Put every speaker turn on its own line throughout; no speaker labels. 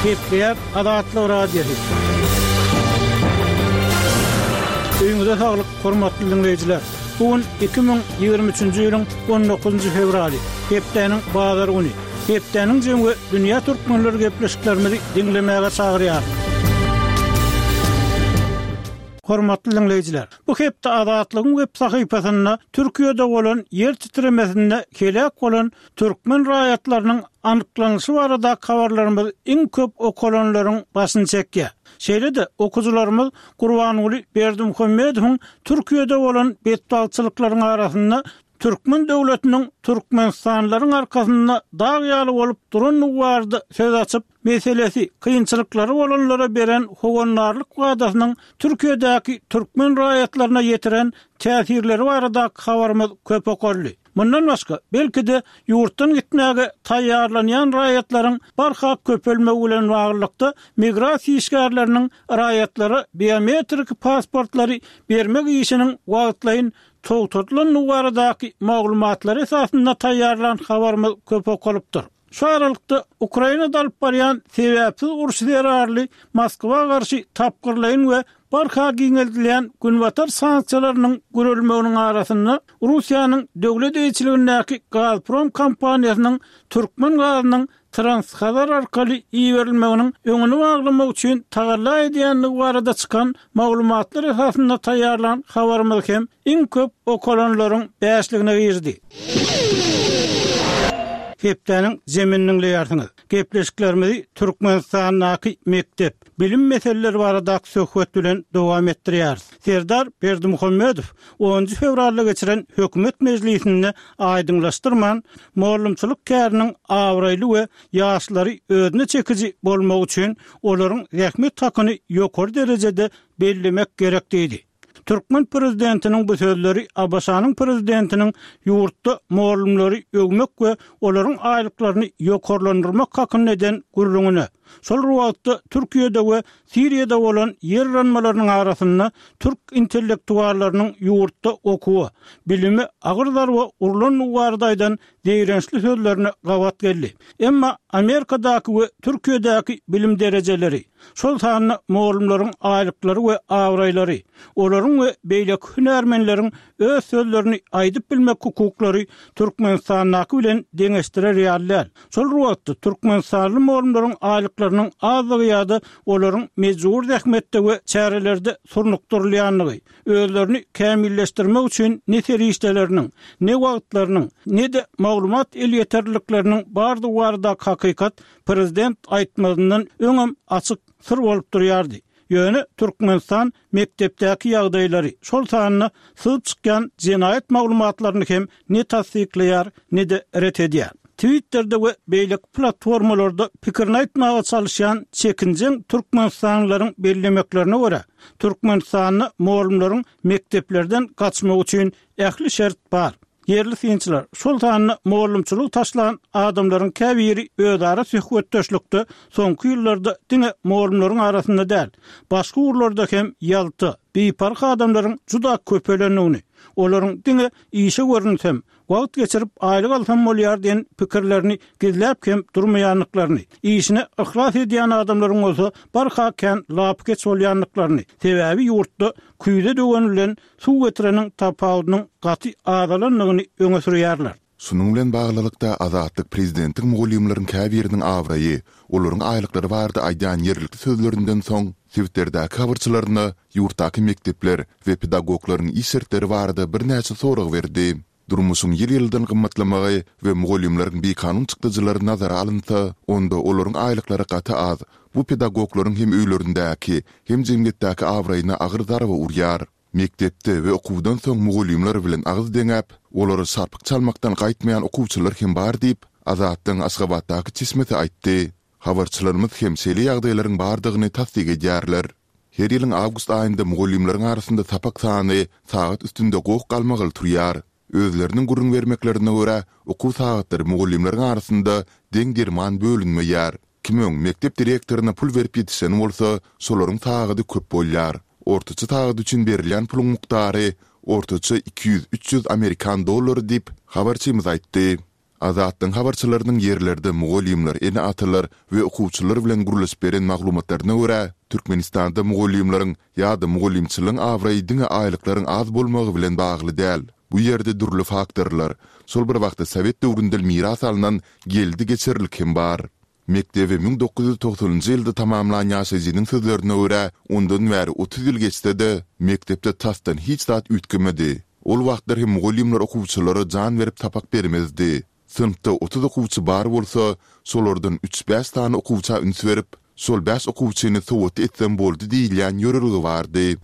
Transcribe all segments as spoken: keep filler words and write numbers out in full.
Gepleýär Azatlyk Radiosy. Öýüňize saglyk, hormatly diňleýjiler! Bu gün iki müň ýigrimi üçünji ýylyň on dokuzynjy fewraly, hepdäniň bazar güni. Hepdäniň jemi we dünýä türkmenleri gepleşiklerimizi diňlemäge çagyrýar. Hormatly diňleýjiler, bu hepde Azatlygyň web sahypasynda Türkiýede bolan ýer titremesinde heläk bolan türkmen raýatlarynyň anyklanyşy baradaky habarlarymyz iň köp okalanlaryň başyny çekýär. Şeýle-de, okyjylarymyz Gurbanguly Berdimuhamedowyň Türkiýede bolan betbagtçylyklaryň arasynda türkmen döwletiniň türkmenistanlylaryň arkasynda dag ýaly bolup durandygy barada söz açyp, meselesi, kynçylyklary bolanlara beren howandarlyk wadasynyň Türkiýedäki türkmen raýatlaryna ýetiren täsirleri baradaky habarymyz köp okaldy. Mundan başga, belki-de, ýurtdan gitmäge taýýarlanýan raýatlaryň barha köpelmegi bilen baglylykda, migrasiýa işgärleriniň raýatlara biometrik pasportlary bermek işiniň wagtlaýyn togtadylandygy baradaky maglumatlar esasynda taýýarlan habarymyz köp okalypdyr. Şu aralykda, Ukrainada alyp barýan sebäpsiz urşy zerarly Moskwa garşy tapgyrlaýyn we barha giňeldilýän Günbatar sanksiýalarynyň gürelmeginiň arasynda, Russiýanyň döwlet eýeçiligindäki Gazprom kompaniýasynyň türkmen gazynyň Transhazar arkaly iberilmeginiň öňüni baglamak üçin tagalla edýändigi barada çykan maglumatlar esasynda taýýarlan habarymyz hem iň köp okalanlaryň bäşligine girdi. Hepdäniň jemini diňleýärsiňiz. Gepleşiklerimizi Türkmenistandaky mekdep, bilim meseleleri baradaky söhbet bilen dowam etdirýäris. Serdar Berdimuhamedow onunjy fewralda geçiren hökümet mejlisinde aýdyňlaşdyrman, mugallymçylyk käriniň abraýly we ýaşlary özüne çekiji bolmagy üçin olaryň zähmet hakyny ýokary derejede bellemek gerek diýdi. Türkmen prezidentiniň bu sözleri ABŞ-nyň prezidentiniň ýurtda mugallymlary öwmek we olaryň aýlyklaryny ýokarlandyrmak hakynda eden gürrüňine, şol bir wagtda Türkiýede we Siriýada bolan ýer yranmalarynyň arasynda türk intellektuallarynyň ýurtda okuwa, bilime agyr zarba urlandygy barada aýdan zeýrençli sözlerine gabat geldi. Emma Amerikadaky we Türkiýedäki bilim derejeleri, şol sanda mugallymlaryň aýlyklary we abraýlary, olaryň we beýleki hünärmenleriň öz sözlerini aýdyp bilmek hukuklary Türkmenistandaky bilen deňeşdirer ýaly däl. Şol bir wagtda, türkmenistanly mugallymlaryň aýlyklarynyň azdygy ýa-da olaryň mejbury zähmetde we çärelerde surnukdyrylýandygy, özlerini kämilleşdirmek üçin ne serişdeleriniň, ne wagtlarynyň, ne-de maglumat elýeterlilikleriniň bardygy baradaky hakykat prezident aýtmazyndan öňem açyk syr bolup durýardy. Ýöne Türkmenistan mekdepdäki ýagdaýlary, şol sanda syzyp çykýan jenaýat maglumatlaryny hem ne tassyklaýar, ne-de ret edýär. Twitterde we beýleki platformalarda pikirini aýtmaga çalyşýan çekinjeň türkmenistanlylaryň bellemeklerine görä, Türkmenistanda mugallymlaryň mekdeplerden gaçmagy üçin ähli şert bar. Ýerli synçylar, şol sanda mugallymçylygy taşlan adamlaryň käbiri özara söhbetdeşlikde soňky ýyllarda diňe mugallymlaryň arasynda däl, başga ugurlarda hem ýalta, biparh adamlaryň juda köpelendigini, olaryň diňe işe görünsem, wagt geçirip aýlyk alsam bolýar diýen pikirlerini gizläp hem durmaýandyklaryny, işine yhlas edýän adamlaryň bolsa barha kän lapykeç bolýandyklaryny, sebäbi ýurtda küýze döwen bilen suw getireniň tapawudynyň gaty azalandygyny öňe sürýärler.
Şunuň bilen baglylykda, Azatlyk prezidentiň mugallymlaryň käbiriniň abraýy, olaryň aýlyklary barada aýdýan ýerlikli sözlerinden soň, sebitlerdäki habarçylaryna ýurtdaky mekdepler we pedagoglaryň iş şertleri barada birnäçe sorag berdi. Durmuşyň ýyl-ýyldan gymmatlamagy we mugallymlaryň bikanun çykdajylary nazara alynsa, onda olaryň aýlyklary gaty az. Bu pedagoglaryň hem öýlerindäki, hem jemgyýetdäki abraýyna agyr zarba urýar. Mekdepde we okuwdan soň mugallymlar bilen agyz deňäp, olara şarpyk çalmakdan gaýtmaýan okuwçylar hem bar diýip, Azatlygyň Aşgabatdaky çeşmesi aýtdy. Habarçylarymyz hem şeýle ýagdaýlaryň bardygyny tassyk edýärler. Her ýylyň awgust aýynda mugallymlaryň arasynda sapak sany sagat üstünde goh-galmagal turýar. Özleriniň gürrüň bermeklerine görä, okuw sagatlary mugallymlaryň arasynda deň-derman bölünmeýär. Kim öň mekdep direktoryna pul berip ýetişen bolsa, şolaryň sagady köp bolýar. Ortaça sagat üçin berilýän puluň mukdary ortaça iki ýüz, üç ýüz amerikan dollary diýip, habarçymyz aýtdy. Azatlygyň habarçylarynyň ýerlerde mugallymlar, ene-atalar we okuwçylar bilen gürleşip beren maglumatlaryna görä, Türkmenistanda mugallymlaryň ýa-da mugallymçylygyň abraýy diňe aýlyklaryň az bolmagy bilen bagly däl. Bu ýerde dürli faktorlar, şol bir wagtda sowet döwründen miras alnan geldi-geçerlik hem bar. Mekdebi müň dokuz ýüz togsanynjy ýylda tamamlan ýaşaýjynyň sözlerine görä, ondan bäri otuz ýyl geçse-de, mekdepde tasdan hiç zat üýtgemedi. Ol wagtlar hem mugallymlar okuwçylara jan berip sapak bermezdi. Synpda otuz okuwçy bar bolsa, şolardan üç-bäş sany okuwça üns berip, şol bäş okuwçyny sowatly etsem boldy diýilýän ýörelge bardy.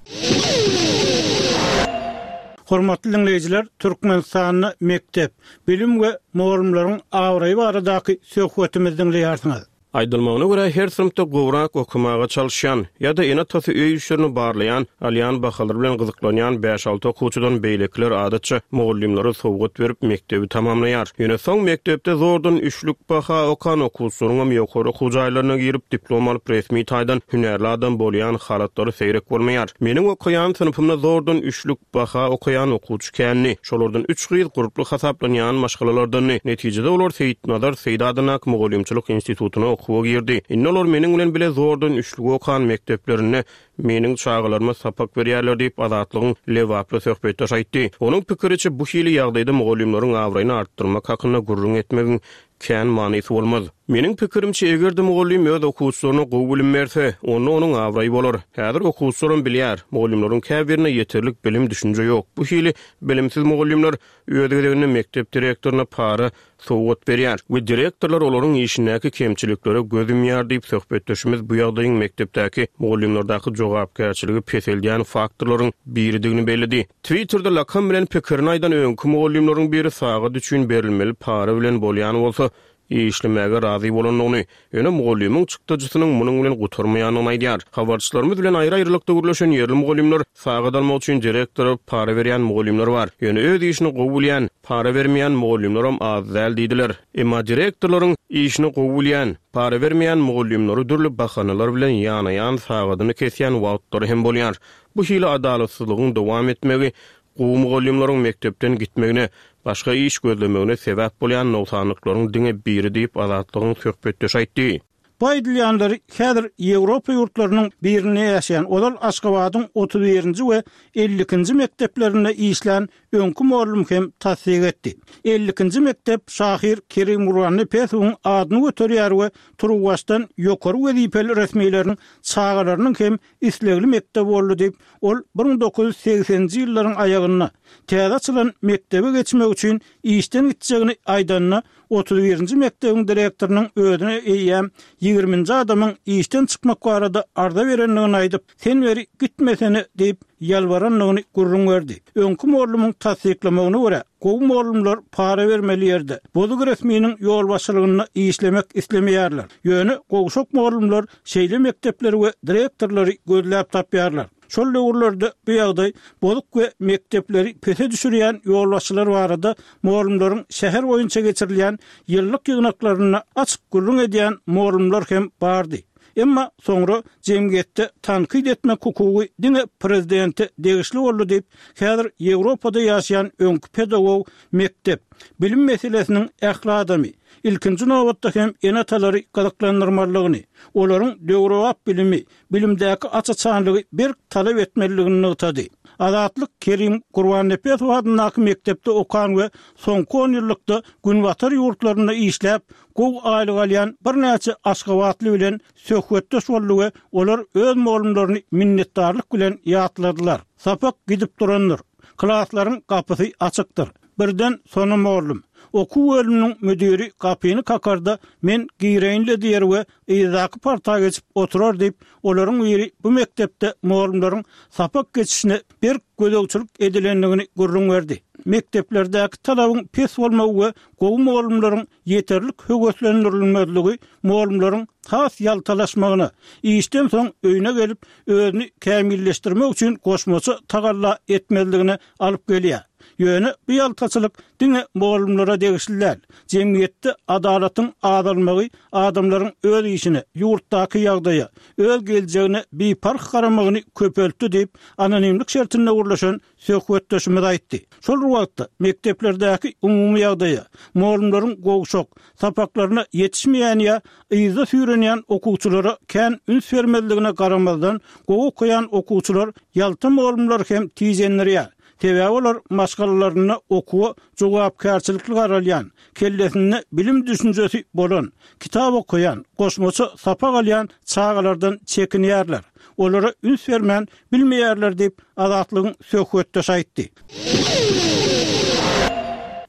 Hormatly diňleýjiler, Türkmenistanda mekdep, bilim we mugallymlaryň abraýy baradaky söhbetimizi diňleýärsiňiz.
Aýdylmagyna görä, her synpda gowrak okamaga çalyşýan ýa-da ene-atasy öý işlerini barlaýan, alýan bahalar bilen gyzyklanýan bäş-alty okuwçydan beýlekiler adatça mugallymlara sowgat berip mekdebi tamamlaýar. Ýöne soň mekdepde zordan üçlük baha okan okuwçylaryň hem ýokary okuw jaýlaryna girip diplom alyp resmi taýdan hünärli adam bolýan halatlary seýrek bolmaýar. Meniň okaýan synpymda zordan üçlük baha okaýan okuwçy kändi. Şolardan üç gyz gurply hasaplanýan maşgalalardandy. Netijede olar Seýitnazar Seýit adyndaky mugallymçylyk institutyna okuwa girdi. Indi olar meniň bilen bile zordan üçlük okan mekdeplerinde meniň çagalaryma sapak berýärler diýip Azatlygyň Lebaply söhbetdeş aýtdy. Onuň pikiriçe bu hili ýagdaýda mugallymlaryň abraýyny artdyrmak hakynda gürrüň etmegiň kän manysy bolmaz. Meniň pikirimçe eger-de mugallym öz okuwçylaryna gowy bilim berse, onda onuň abraýy bolar. Häzir okuwçylaram bilýär, mugallymlaryň käbirine ýeterlik bilim düşünje ýok. Bu hili bilimsiz mugallymlar öz gezeginde mekdep direktoryna para sowgat berýär we direktorlar olaryň işindäki kemçiliklere göz ýumýar diýip söhbetdeşimiz bu ýagdaýyň mekdepdäki mugallymlardaky jogapkärçiligi peseldýän faktorlaryň biridigini belledi. Twitterde lakam bilen pikirini aýdan öňki mugallymlaryň biri sagat üçin berilmeli para bilen bolýan bolsa, işlemäge razy bolandygyny, ýöne mugallymyň çykdajysynyň munuň bilen gutarmaýandygyny aýdýar. Habarçylarymyz bilen aýry-aýrylykda gürleşen ýerli mugallymlar sagat almak üçin direktora para berýän mugallymlar bar. Ýöne öz işini gowy bilýän, para bermeýän mugallymlaram az däl diýdiler. Emma direktorlaryň işini gowy bilýän, para bermeýän mugallymlary dürli bahanalar bilen ýanaýan sagadyny kesýän wagtlary hem bolýar. Bu hili adalatsyzlygyň dowam etmegi gowy mugallymlaryň mekdepden gitmegine, başga iş gözlemegine sebäp bolýan nogsanlyklaryň diňe biri diýip Azatlygyň söhbetdeşi aýtdy.
Bu aýdylýanlary häzir Ýewropa ýurtlarynyň birinde ýaşaýan ozal Aşgabadyň otuz birinji we elli ikinji mekdeplerinde işlän öňki mugallym hem tassyk etdi. Elli ikinji mekdep şahyr Kerim Gurbannepesowyň adyny göterýär we Turuwbaşdan ýokary wezipeli resmileriň çagalarynyň hem islegli mekdep boldy diýip, ol bir müň dokuz ýüz segseninji ýyllaryň aýagynda täze açylan mekdebe geçmek üçin işden gitjegini aýdanda otuz birinji mekdebiň direktorynyň özüne eýýäm ýigriminji adamyň işden çykmak barada arza berendigini aýdyp, sen beri gitmesene diýip ýalbarandygyny gürrüň berdi. Öňki mugallymyň tassyklamagyna görä, gowy mugallymlar para bermeli ýerde, bozuk resminiň ýolbaşçylygynda işlemek islemeýärler. Ýöne gowşak mugallymlar şeýle mekdepleri we direktorlary gözläp tapýarlar. Şol döwürlerde bu ýagdaý bozuk we mekdepleri pese düşürýän ýolbaşçylar barada mugallymlaryň şäher boýunça geçirilýän ýyllyk ýygnaklarynda açyk gürrüň edýän mugallymlar hem bardy. Emma soňra jemgyýetde tankyt etmek hukugy diňe prezidente degişli boldy diýip, häzir Ýewropada ýaşaýan öňki pedagog mekdep, bilim meselesiniň ähli adamy, ilkinji nobatda hem ene-atalary gyzyklandyrmalydygyny, olaryň döwrebap bilimi, bilimdäki aç-açanlygy berk talap etmelidigini nygtady. Azatlyk Kerim Gurbannepesow adyndaky mekdepde okan we soňky on ýyllykda Günbatar ýurtlarynda işläp, gowy aýlyk alýan birnäçe aşgabatly bilen söhbetdeş boldy we olar öz mugallymlaryny minnetdarlyk bilen ýatladylar. Sapak gidip durandyr. Klaslaryň gapysy açykdyr. Birden sona mugallym. Okuw bölüminiň müdiri gapyny kakarda men gireýinle diýer we yzdaky parta geçip oturar diýip, olaryň biri bu mekdepde mugallymlaryň sapak geçişine berk gözegçilik edilendigini gürrüň berdi. Mekdeplerdäki talabyň pes bolmagy we gowy mugallymlaryň ýeterlik höweslendirilmezligi mugallymlaryň has ýaltalaşmagyna, işden soň öýüne gelip özüni kämilleşdirmek üçin goşmaça tagalla etmezligine alyp gelýär. Ýöne bu ýaltaçylyk diňe mugallymlara degişli däl. Jemgyýetde adalatyň azalmagy adamlaryň öz işine, ýurtdaky ýagdaýa, öz geljegine biparh garamagyny köpeltdi diýip, anonimlik şertinde gürleşen söhbetdeşimiz aýtdy. Şol bir wagtda mekdeplerdäki umumy ýagdaýa, mugallymlaryň gowşak, sapaklaryna ýetişmeýän ýa yzda süýrenýän okuwçylara kän üns bermezligine garamazdan, gowy okaýan okuwçylar ýalta mugallymlary hem tijendirýär. Sebäbi olar maşgalalarynda okuwa jogapkärçilikli garalýan, kellesinde bilim düşünjesi bolan, kitap okaýan, goşmaça sapak alýan çagalardan çekinýärler. Olara üns bermän bilmeýärler diýip, Azatlygyň söhbetdeşi aýtdy.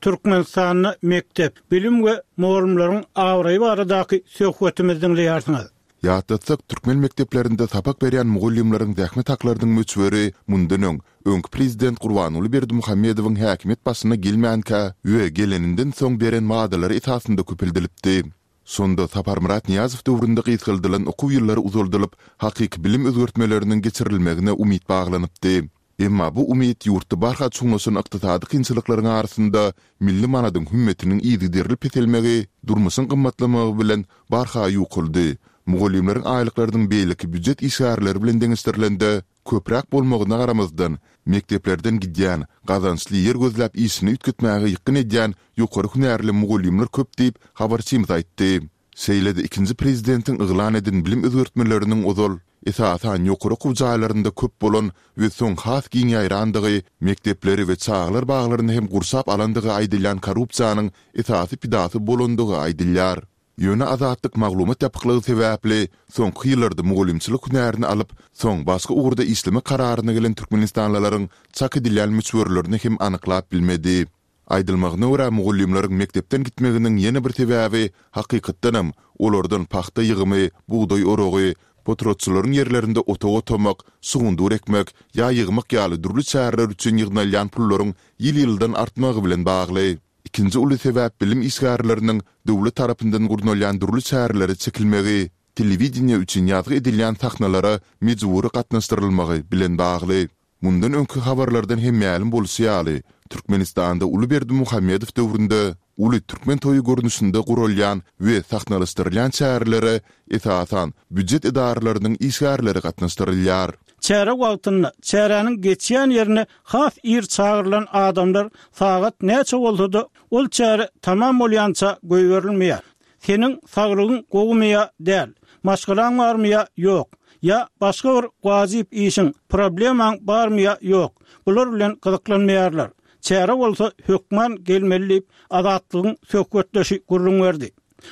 Türkmenistanda mekdep, bilim we mugallymlaryň abraýy baradaky söhbetimizi diňleýärsiňiz.
Ýatlatsak, türkmen mekdeplerinde sapak berýän mugallymlaryň zähmet haklarynyň möçberi mundan öň, öňki prezident Gurbanguly Berdimuhamedowyň häkimiýet başyna gelmänkä we geleninden soň beren wadalary esasynda köpeldilipdi. Şonda Saparmyrat Nyýazow döwründe gysgaldylan okuw ýyllary uzaldylyp, hakyky bilim özgertmeleriniň geçirilmegine umyt baglanypdy. Emma bu umyt ýurtda barha çuňlaşan ykdysady kynçylyklaryň arasynda milli manadyň hümmetiniň yzygiderli peselmegi, durmuşyň gymmatlamagy bilen barha ýukaldy. Mugallymlaryň aýlyklarynyň beýleki býujet işgärleri bilen deňeşdirilende köpräk bolmagyna garamazdan, mekdeplerden gidýän, gazançly ýer gözläp işini üýtgetmäge ýykgyn edýän ýokary hünärli mugallymlar köp diýip, habarçymyz aýtdy. Şeýle-de ikinji prezidentiň yglan eden bilim özgertmeleriniň ozal, esasan, ýokary okuw jaýlarynda köp bolan we soň has giň ýaýrandygy, mekdepleri we çagalar baglaryny hem gurşap alandygy aýdylýan korrupsiýanyň esasy pidasy bolandygy aýdylýar. Ýöne Azatlyk maglumat ýapyklygy sebäpli, soňky ýyllarda mugallymçylyk hünärini alyp, soň başga ugurda işlemek kararyna gelen türkmenistanlylaryň çak edilýän möçberlerini hem anyklap bilmedi. Aýdylmagyna görä, mugallymlaryň mekdepden gitmeginiň ýene bir sebäbi, hakykatdanam, olardan pagta ýygymy, bugdaý oragy, potratçylaryň ýerlerinde otag otamak, şugundyr ekmek ýa ýygmak ýaly dürli çäreler üçin ýygnalýan pullaryň ýyl-ýyldan artmagy bilen bagly. Ikinji uly sebäp bilim işgärleriniň döwlet tarapyndan gurnalýan dürli çärelere çekilmegi, telewideniýe üçin ýazgy edilýän sahnalara mejbury gatnaşdyrylmagy bilen bagly. Mundan öňki habarlardan hem mälim bolşy ýaly, Türkmenistanda uly Berdimuhamedow döwründe uly türkmen toýy görnüşinde guralýan we sahnalaşdyrylýan çärelere, esasan, býujet edaralarynyň işgärleri gatnaşdyrylýar.
Çäre wagtynda çäräniň geçýän ýerine has ir çagyrylan adamlar sagat näçe bolsa-da, ol çäre tamam bolýança goýberilmeýär. Seniň saglygyň gowumy ýa däl, maşgalaň barmy ýa ýok, ýa başga bir wajyp işiň, problemaň barmy ýa ýok, bular bilen gyzyklanmaýarlar. Çärä bolsa hökman gelmeli diýip, Azatlygyň söhbetdeşi gürrüň berdi.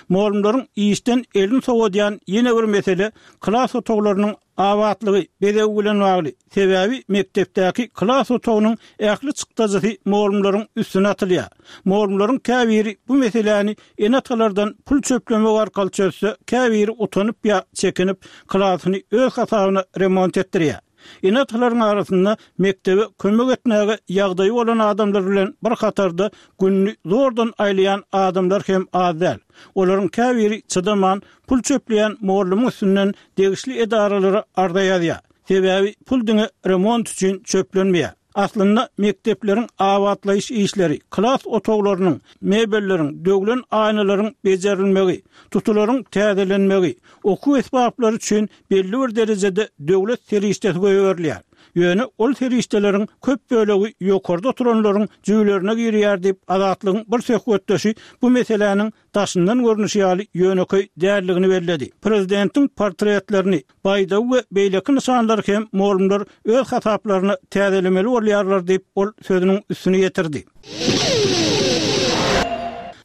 Mugallymlaryň işden elini sowadýan ýene bir mesele klas otaglarynyň abatlygy, bezegi bilen bagly. Sebäbi mekdepdäki klas otagynyň ähli çykdajysy mugallymlaryň üstüne atylýar. Mugallymlaryň käbiri bu meseläni ene-atalardan pul çöplemek arkaly çözse, käbiri utanyp ýa çekinip, klasyny öz hasabyna remont etdirýär. Ene-atalaryň arasynda mekdebe kömek etmäge ýagdaýy bolan adamlar bilen bir hatarda gününi zordan aýlaýan adamlar hem az däl. Olaryň käbiri çydaman, pul çöpleýän mugallymyň üstünden degişli edaralara arza ýazýar. Sebäbi pul diňe remont üçin çöplenmeýär. Aslynda mekdepleriň abatlaýyş işleri, klas otaglarynyň, mebelleriň, döwlen aýnalaryň bejerilmegi, tutularyň täzelenmegi, okuw esbaplary üçin belli bir derejede döwlet serişdesi goýberilýär. Ýöne ol serişdeleriň köp bölegi ýokarda oturanlaryň jübülerine girýär diýip, Azatlygyň bir söhbetdeşi bu meseläniň daşyndan görnüşi ýaly ýönekeý däldigini belledi. Prezidentiň portretlerini, baýdagy we beýleki nyşanlary hem mugallymlar öz hasaplaryna täzelemeli bolýarlar diýip, ol sözüniň üstüni ýetirdi.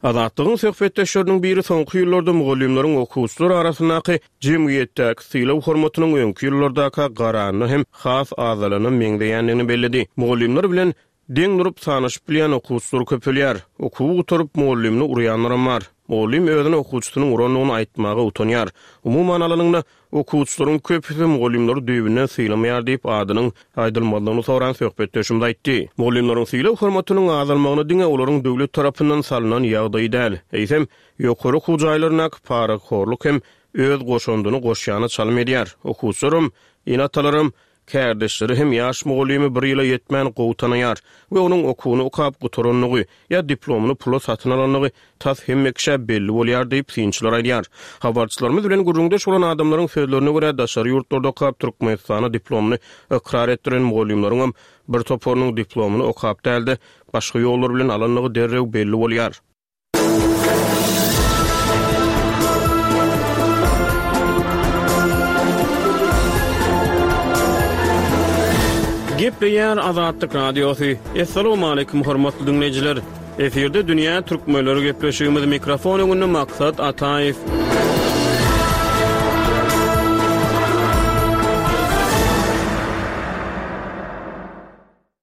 Azatlygyň söhbetdeşleriniň biri soňky ýyllarda mugallymlaryň okuwçylar arasyndaky jemgyýetdäki sylag-hormatynyň öňki ýyllardaka garanda hem has azalana meňzeýändigini belledi. Mugallymlar bilen Deň durup sanaşyp bilýän okuwçylar köpelýär. Okuwy gutaryp, mugallymyny urýanlaram bar. Mugallym özüne okuwçysynyň urandygyny aýtmaga utanýar. Umuman alanyňda, okuwçylaryň köpüsi mugallymlary düýbünden sylamaýar diýip, adynyň aýdylmazlygyny soran söhbetdeşimiz aýtdy. Mugallymlaryň sylag-hormatynyň azalmagyna diňe olaryň döwlet tarapyndan salnan ýagdaýy däl, eýsem, ýokary okuw jaýlaryndaky parahorluk hem öz goşandyny goşýana çalym edýär. Okuwçylaram, ene-atalaram Kärdeşleri hem ýaş mugallymy bir ýyla ýetmän gowy tanaýar we onuň okuwyny okap gutarandygy ýa diplomyny pula satyn alandygy tas hemme kişä belli bolýar diýip synçylar aýdýar. Habarçylarymyz bilen gürrüňdeş bolan adamlaryň sözlerine görä daşary ýurtlarda okap Türkmenistana diplomyny ykrar etdiren mugallymlaryň bir toparynyň diplomyny okap dälde başga ýollar bilen alandygy derrew belli bolýar. Gepleýär Azatlyk Radiosy. Essalamu aleýkum hormatly dinleýjiler. Efirde Dünýä Türkmenleri gepleşigimiz mikrofon öňünde Maksat Ataýew.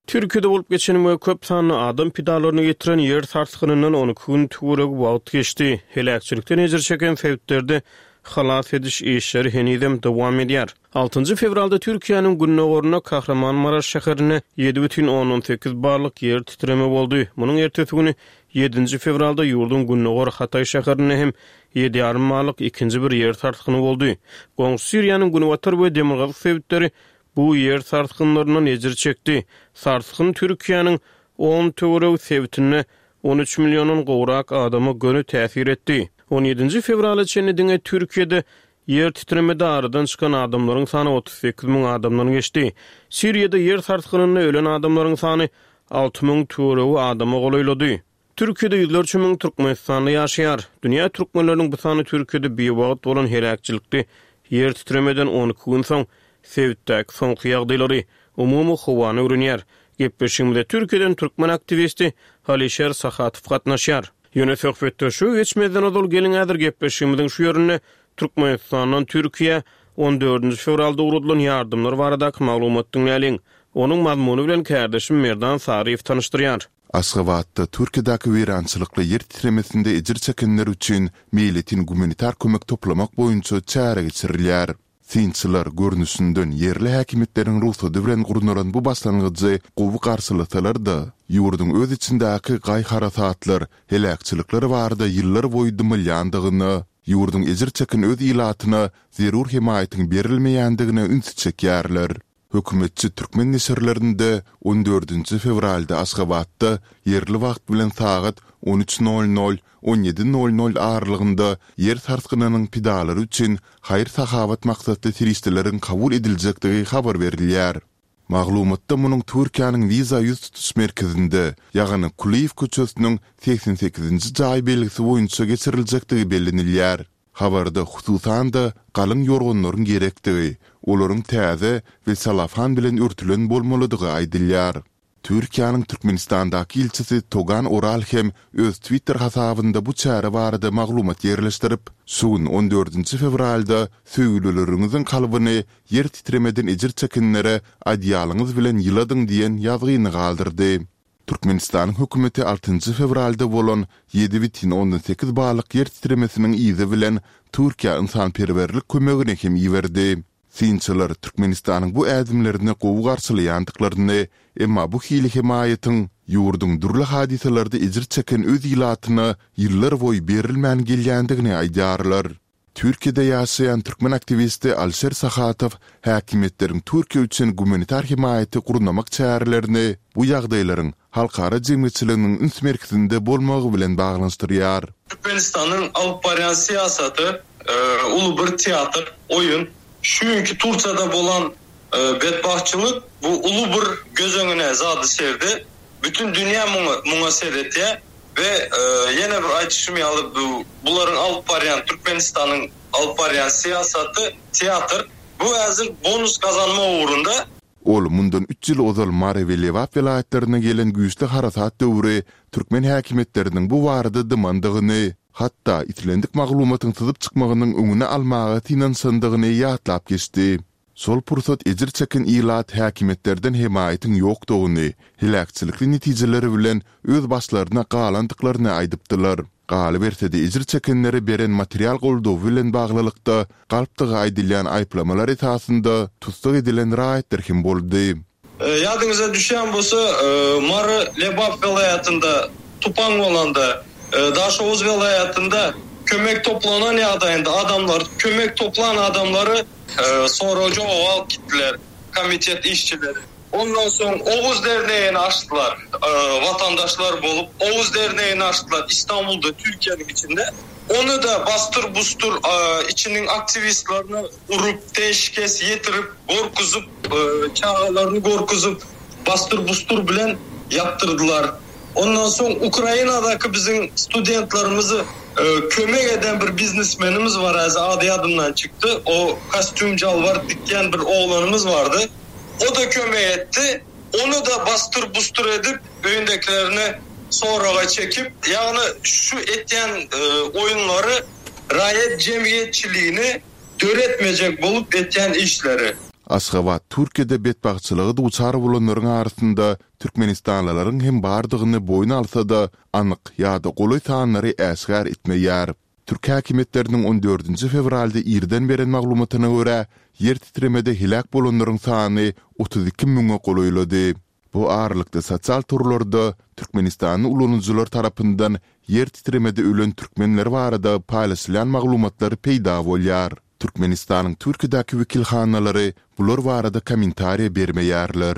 Türkiýede bolup geçen we köp sanly adam pidalaryny getiren ýer sarsgynyndan on iki gün töweregi wagt geçdi. Heläkçilikden ejir çeken sebitlerde halas ediş işleri henizem dowam edýär. Altynjy fewralda Türkiýäniň gündogarynda Kahramanmaraş şäherinde ýedi bütin ondan sekiz barlyk ýer titreme boldy. Munuň ertesi güni ýedinji fewralda ýurduň gündogar Hatay şäherinde hem ýedi ýarym barlyk ikinji bir ýer sarsgyny boldy. Goňşy Siriýanyň günbatar we demirgazyk sebitleri bu ýer sarsgynlaryndan ejir çekdi. Sarsgyn Türkiýäniň on töweregi sebitinde on üç milliondan gowrak adama göni täsir etdi. on ýedinji fewrala çenli diňe Türkiýede ýer titremede aradan çykan adamlaryň sany otuz sekiz müň adamdan geçdi. Siriýada ýer sarsgynynda ölen adamlaryň sany alty müň töweregi adama golaýlady. Türkiýede ýüzlerçe müň Türkmenistanda ýaşaýar. Dünýä türkmenleriniň bu sany Türkiýede biwagt bolan heläkçilikli ýer titremeden on iki gün soň sebitdäki soňky ýagdaýlary, umumy howany öwrenýär. Gepleşigimize Türkiýeden türkmen aktiwisti Halişer Sahatow gatnaşýar. Ýöne söhbetde şu geçmezden ozal gelin häzir gepleşigimiziň şu ýerinde Türkmenistandan Türkiýä on dördünji fewralda ugradylan ýardymlar baradaky maglumat diňläliň. Onuň mazmuny bilen kärdeşim Merdan Saryýew tanyşdyrýar.
Aşgabatda Türkiýedäki weýrançylykly ýer titremesinde ejir çekenler üçin meýletin gumanitar kömek toplamak boýunça çäre geçirilýär. Synçylar görnüşinden ýerli häkimiýetleriň rugsady bilen gurnalan bu başlangyjy gowy garşylasalar-da, ýurduň öz içindäki gaý-harasatlar, heläkçilikler barada ýyllar boýy dymylýandygyna, ýurduň ejir çeken öz ilatyna zerur hemaýatyň berilmeýändigine ünsi çekýärler. Hökümetçi türkmen neşirlerinde on dördünji fewralda Aşgabatda ýerli wagt bilen sagat on üç nol nol, on ýedi nol nol aralygynda ýer sarsgynynyň pidalary üçin haýyr-sahawat maksatly serişdeleriň kabul ediljekdigi habar berilýär. Maglumatda munuň Türkiýäniň wiza ýüz tutuş merkezinde, ýagny Kulyýew köçesiniň segsen sekizinji jaý belgisi boýunça geçiriljekdigi bellenilýär. Habarda hususan-da galyň ýorganlaryň gerekdigi, olaryň täze we salafan bilen örtülen bolmalydygy aýdylýar. Türkiýäniň Türkmenistandaky ilçisi Togan Oral hem öz Twitter hasabynda bu çäre barada maglumat ýerleşdirip, şu gün on dördünji fewralda söýgülileriňiziň kalbyny ýer titremeden ejir çekenlere adyýalyňyz bilen ýyladyň diýen ýazgyny galdyrdy. Türkmenistanyň hökümeti altynjy fewralda bolan ýedi bütin ondan sekiz ballyk ýer titremesiniň yzy bilen Türkiýä ynsanperwerlik kömegini hem iberdi. Synçylar Türkmenistanyň bu ädimlerini gowy garşylaýandyklaryny, emma bu hili hemaýatyň ýurduň dürli hadysalarda ejir çeken öz ilatyna ýyllar boýy berilmän gelýändigini aýdýarlar. Türkiýede ýaşaýan türkmen aktiwisti Alişer Sahatow häkimiýetleriň Türkiýe üçin gumanitar hemaýaty gurnamak çärelerini bu ýagdaýlaryň halkara jemgyýetçiliginiň üns merkezinde bolmagy bilen baglanyşdyrýar.
Türkmenistanyň alyp barýan syýasaty, e, uly bir teatr, oýun. Çünki Türkiýede bolan, e, bedbahtçylyk bu uly bir göz öňüne zady serdi. Bütün dünýä muňa, muňa seretýär we, e, ýene bir aýdyşym ýaly bu bularyň alyp barýan Türkmenistanyň alyp barýan syýasaty teatr. Bu häzir bonus gazanma ugrunda.
Ol mundan üç ýyl ozal Mary we Lebap welaýatlaryna gelen güýçli harasat döwri türkmen häkimiýetleriniň bu barada dymandygyny, hatda islendik maglumatyň syzyp çykmagynyň öňüni almaga synanyşandygyny ýatlap geçdi. Şol pursat ejir çeken ilat häkimiýetlerden hemaýatyň ýokdugyny, heläkçilikli netijeleri bilen öz başlaryna galandyklaryny aýdypdylar. Galyberse-de ejir çekenlere beren material goldawy bilen baglylykda galpdygy aýdylýan aýyplamalar esasynda tussag edilen raýatlar hem boldy.
E, ýadyňyza düşýän bolsa, e, Mary Lebap welaýatynda tupan bolanda, e, Daşoguz welaýatynda kömek toplanan ýagdaýynda adamlar, kömek toplan adamlary, e, sorag jogap alyp gitdiler. Komitet işçileri. Ondan soň Oguz derneğini açdylar. Watandaşlar bolup Oguz derneğini açdylar İstanbulda, Türkiýäniň içinde. Ony-da basdyr-busdur içiniň aktiwistlerini urup, teşkes ýetirip, gorkuzyp, çagalaryny gorkuzyp, basdyr-busdur bilen ýapdyrdylar. Ondan soň Ukrainadaky biziň studentlerimizi kömek eden bir biznesmenimiz bar, häzir ady ýadymdan çykdy. O kostýum jalbar dikýän bir oglanymyz bardy. O-da kömek etdi. Ony-da basdyr-busdur edip, öýündekilerini soraga çekip, ýagny şu etýän oýunlary raýat jemgyýetçiligini döretmejek bolup etýän işleri.
Aşgabat Türkiýede betbagtçylyga duçar bolanlaryň arasynda türkmenistanlylaryň hem bardygyny boýun alsa-da, anyk ýa-da golaý sanlary äşgär etmeýär. Türk häkimiýetleriniň on dördünji fewralda irden beren maglumatyna görä, ýer titremede heläk bolanlaryň sany otuz iki müňe golaýlady. Bu aralykda sosial torlarda türkmenistanly ulanyjylar tarapyndan ýer titremede ölen türkmenler barada paýlaşylýan maglumatlar peýda bolýar. Türkmenistanyň Türkiýedäki wekilhanalary bular barada kommentariýa bermeýärler.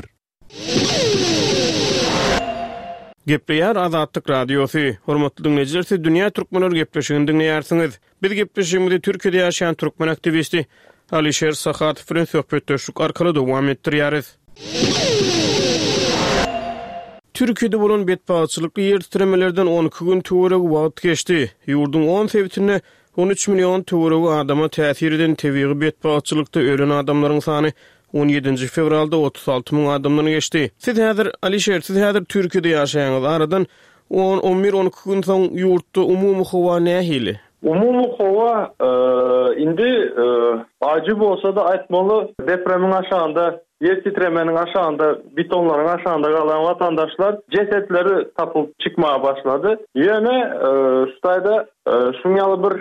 Gepleýär Azatlyk Radiosy. Hormatly diňleýjiler, siz Dünýä Türkmenleri gepleşigini diňleýärsiňiz. Biz gepleşigimizi Türkiýede ýaşaýan türkmen aktiwisti Alişer Sahatow bilen söhbetdeşlik arkaly dowam etdirýäris. Türkiýede bolan betbagtçylykly ýer titremelerden on iki gün töweregi wagt geçdi. Ýurduň on sebitinde on üç million töweregi adama täsir eden tebigy betbagtçylykda ölen adamlaryň sany on ýedinji fewralda otuz alty müň adamdan geçdi. Siz häzir, Alişer, siz häzir Türkiýede ýaşaýaňyz. Aradan on, on bir, on iki gün soň ýurtda umumy howa nähili?
Umumy howa, indi, ajy bolsa-da aýtmaly, depremiň aşagynda, ýer titremeniň aşagynda, betonlaryň aşagynda galan watandaşlar jesetleri tapyp çykmaga başlady. Ýöne, şu taýda, şuň ýaly bir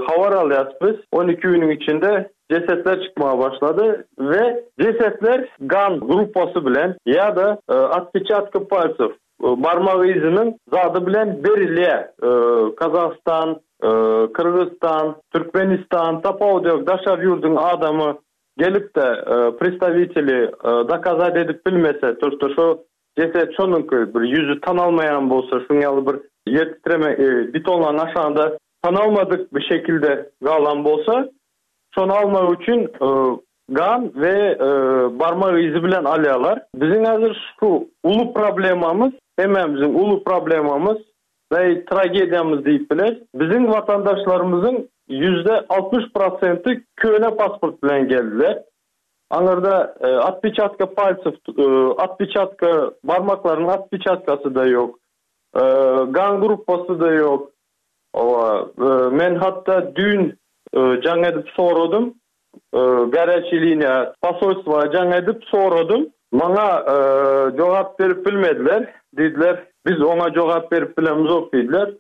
habar alýarys biz. On iki günüň içinde jesetler çykmaga başlady we jesetler gan gruppasy bilen ýa-da otpeçatka palcew, barmak yzynyň zady bilen berilýär. Kazahstan, Kyrgyzstan, Türkmenistan, tapawudy ýok, daşary ýurduň adamy gelip-de predstaviteli dokazat edip bilmese, to что şo jeset şonuňky bir ýüzi tanalmaýan bolsa, şuň ýaly bir ýer titreme, betonlaryň aşagynda tanalmadyk bir şekilde galan bolsa, şony almak üçin gan we barmak yzy bilen alýarlar. Biziň häzir şu uly problemamyz, hemmämiziň uly problemamyz we tragediýamyz diýip bileris. Biziň watandaşlarymyzyň ýüzde altmyş prosenti köne pasport bilen geldiler. Aňyrda otpeçatka palcew, otpeçatka barmaklarynyň otpeçatkasy-da ýok. Gan gruppasy-da ýok. Owa, men hatda düýn jaň edip soradym. Garячий liniýa posolstwa jaň edip soradym. Maňa jogap berip bilmediler. Diýdiler, biz oňa jogap berip bilemizok diýdiler.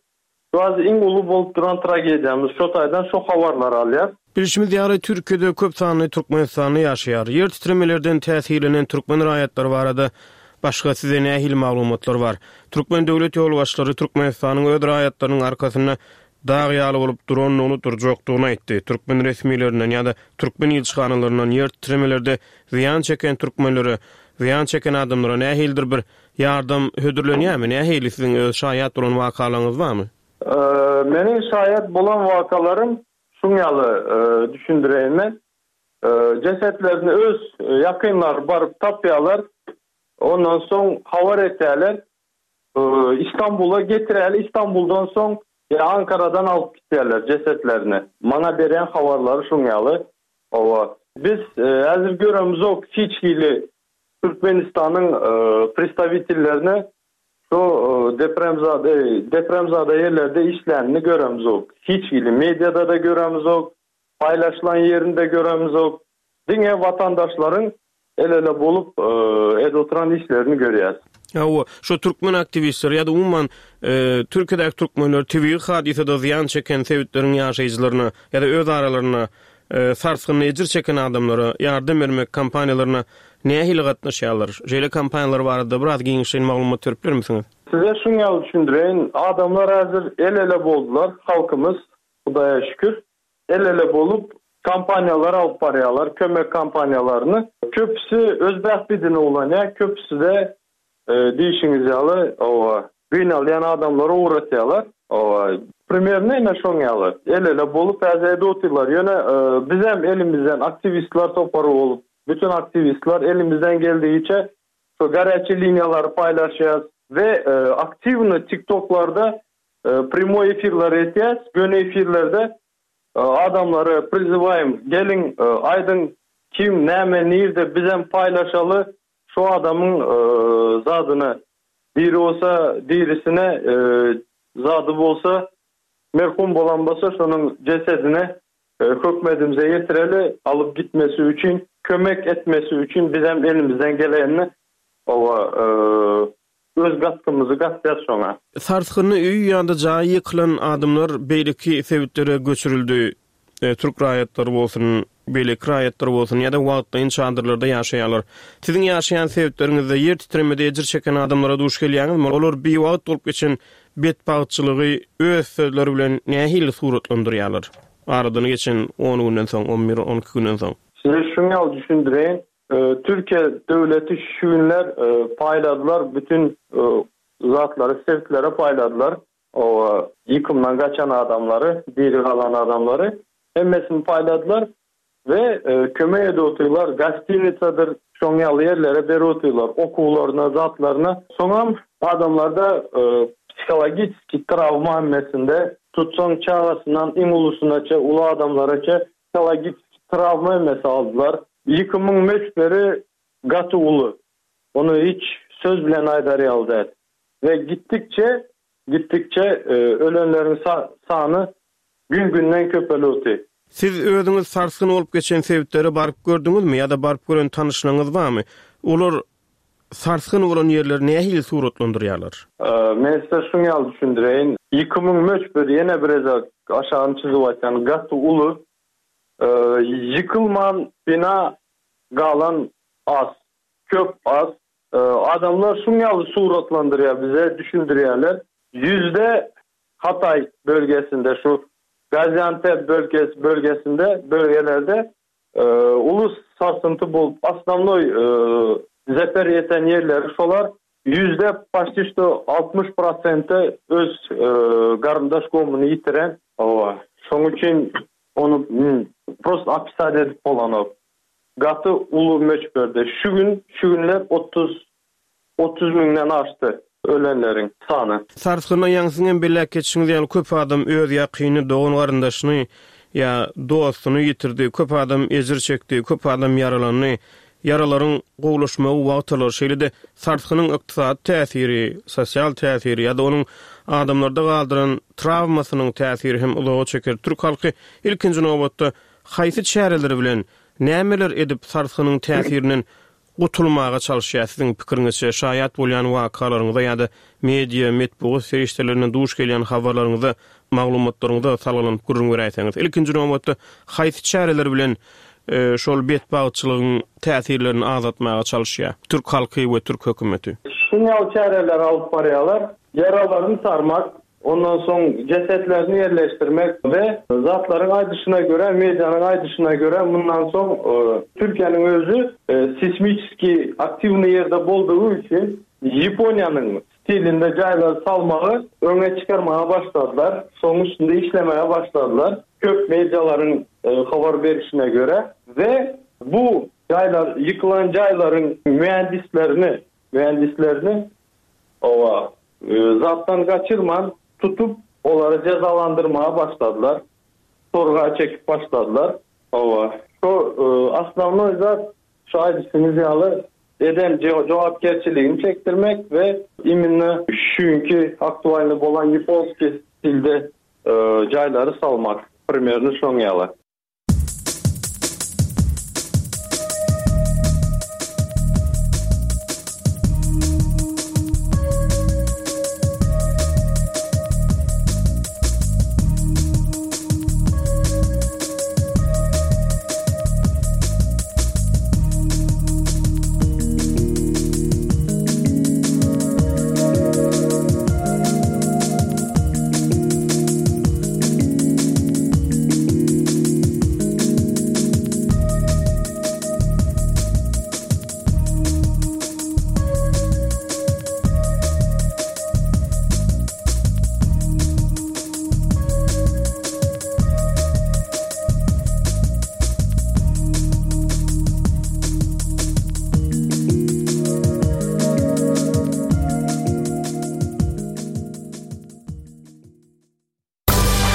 Şu az iň uly bolup duran tragediýamyz, şo taýdan şo habarlary alýar.
Bilşimiz ýaly, Türkiýede köp sanly türkmenistanly ýaşaýar. Ýer titremelerden täsirlenen türkmen raýatlary barada başga size nähili maglumatlar bar? Türkmen döwlet ýolbaşçylary Türkmenistanyň öz raýatlarynyň arkasynda dag ýaly bolup durandygyny, durjakdygyny aýtdy. Türkmen resmilerinden ýa-da türkmen ilçihanalaryndan ýer titremelerde zyýan çeken türkmenlere, zyýan çeken adamlara nähilidir bir ýardam hödürlenýärmi? Nähili siziň öz şaýat bolan wakalaryňyz barmy?
Meniň şaýat bolan wakalarym şuň ýaly, düşündireýin men. Jesetlerini öz ýakynlary baryp tapýarlar. Ondan soň habar etýärler. İstanbula getireli, İstanbuldan soň ýa Ankaradan alyp gitýärler jesetlerini. Maňa berýän habarlary şuň ýaly. Owa. Biz häzir göremizok hiç hili Türkmenistanyň predstavitellerini şu depremzade, depremzade ýerlerde işlänini göremizok. Hiç hili mediada da göremizok, paýlaşylan ýerinde göremizok. Diňe watandaşlaryň el-ele bolup edip oturan işlerini görýäs.
Hawa, şu türkmen aktiwistleri ýa-da umuman, Türkiýedäki türkmenler tebigy hadysada zyýan çeken sebitleriň ýaşaýjylaryna ýa-da öz aralarynda sarsgynda ejir çeken adamlara ýardam bermek kampaniýalaryna nähili gatnaşýarlar? Şeýle kampaniýalar barada biraz giňişleýin maglumat berip bilermisiňiz?
Size şuň ýaly düşündireýin, adamlar häzir el-ele boldular, halkymyz, Hudaýa şükür, el-ele bolup kampaniýalar alyp barýarlar, kömek kampaniýalaryny. Köpüsi öz bähbidine ulanýar, köpüsi-de diýşiňiz ýaly, owa, gynalýan adamlary ugratýarlar. Owa, primerno ine şoň ýaly. El-ele bolup häzir edip otyrlar. Ýöne bizem elimizden aktiwistler topary bolup, bütün aktiwistler elimizden geldigiçe şu gorýaçi liniýalary paýlaşýas we aktiwno TikToklarda primoý efirler etýäs. Göni efirlerde adamlary prizywaýym, geliň, aýdyň kim, näme, nirde bizem paýlaşaly şu adamyň zadyny. Diri bolsa dirisine, zady bolsa merhum bolan bolsa şonuň jesedine hökmedimize ýetireli, alyp gitmesi üçin, kömek etmesi üçin bizem elimizden gelenini owa öz gatkymyzy gatýas şoňa.
Sarsgynly öý ýa-da jaýy ýykylan adamlar beýleki sebitlere göçürildi. Türk raýatlary bolsun, beýleki raýatlar bolsun ýa-da wagtlaýyn çadyrlarda ýaşaýarlar. Siziň ýaşaýan sebitleriňizde ýer titremede ejir çeken adamlara duş gelýäňizmi? Olar biwagt bolup geçen betbagtçylygy öz sözleri bilen nähili suratlandyrýarlar? Aradan geçen on günden soň, on bir, on iki günden soň.
Size şuny ýaly düşündireýin. Türkiýe döwleti şu günler paýladylar, bütün zatlary sebitlere paýladylar. O ýykymdan gaçan adamlary, diri galan adamlary hemmesini paýladylar we kömek edip otyrlar, gostinitsadyr, şoň ýaly ýerlere berip otyrlar, okuwlaryna, zatlaryna. Soňam adamlarda psihologiki travma hemmesinde, tutsaň çagasyndan iň ulusynaça, uly adamlaraça psihologiki travma hemmesi aldylar. Ýykymyň möçberi gaty uly. Ony hiç söz bilen aýdar ýaly däl. We gitdikçe, gitdikçe ölenleriň sany gün-günden köpelip.
Siz özüňiz sarsgyn bolup geçen sebitlere baryp gördüňizmi ýa-da baryp gören tanyşlaryňyz barmy? Olar sarsgyn bolan ýerleri nähili suratlandyrýarlar?
Men size şuny ýaly düşündireýin. Ýykymyň möçberi ýene bir gezek aşagyny çyzyp aýtýan gaty uly. Ýykylman bina galan az, köp az. Adamlar şuny ýaly suratlandyrýar, bize düşündirýärler. Yüzde Hatay bölgesinde, şu Gaziantep bölgesi, bölgesinde, bölgelerde e, ulus sarsıntı bolup, osnovnoy e, zeper ýeten ýerleri şolar yüzde почти что altmyş prosenti öz e, garyndaş gomunu ýitiren. Owa. Şonuň üçin ony prosto opisat edip bolanok. Gaty uly möçberde. Şu gün, şu günler otuz, otuz müňden aşdy ölenleriň sany.
Sarsgynda ýaňsyň hem belläp geçişiňiz ýaly köp adam öz ýakyny, dogan garyndaşyny ýa dostuny ýitirdi, köp adam ejir çekdi, köp adam ýaralandy. Ýaralaryň gowulaşmagy wagt alar. Şeýle-de sarsgynyň ykdysady täsiri, sosial täsiri ýa-da onuň adamlarda galdyran travmasynyň täsiri hem uzaga çeker. Türk halky ilkinji nobatda haýsy çäreler bilen nämeler edip sarsgynyň täsirinden gutulmaga çalyşýar? Siziň pikiriňizçe şaýat bolýan wakalaryňyza ýa-da media, metbugat serişdelerine duş gelýän habarlaryňyza, maglumatlaryňyza salgylanyp gürrüň beräýseňiz. Ilkinji nobatda haýsy çäreler bilen şol betbagtçylygyň täsirlerini azaltmaga çalyşýar Türk halky we Türk hökümeti?
Şuny çäreler alyp barýarlar. Ýaralaryny sarmak, ondan soň cesetlerini ýerleşdirmek we zatlaryň aýdyşyna görä, medianyň aýdyşyna görä mundan soň Türkiýäniň özi seismически aktiwny ýerde boldugy üçin Ýaponiýanyň stilinde jaýlar salmagy öňe çykarmaga başladylar. Soň üstünde işlemäge başladylar. Köp medialaryň habar berişine görä we bu jaýlar, ýykylan jaýlaryň mühendislerini, mühendislerini owa zatdan gaçyrman tutup olary cezalandyrmaga başladylar. Sorga çekip başladylar. Owa. Şu osnovnoy zat şu aýdyşyňyz ýaly eden jogapkärçiligini çekdirmek we imенно çünki aktualny bolan japonski stilde jaýlary salmak. Primerno şoň ýaly.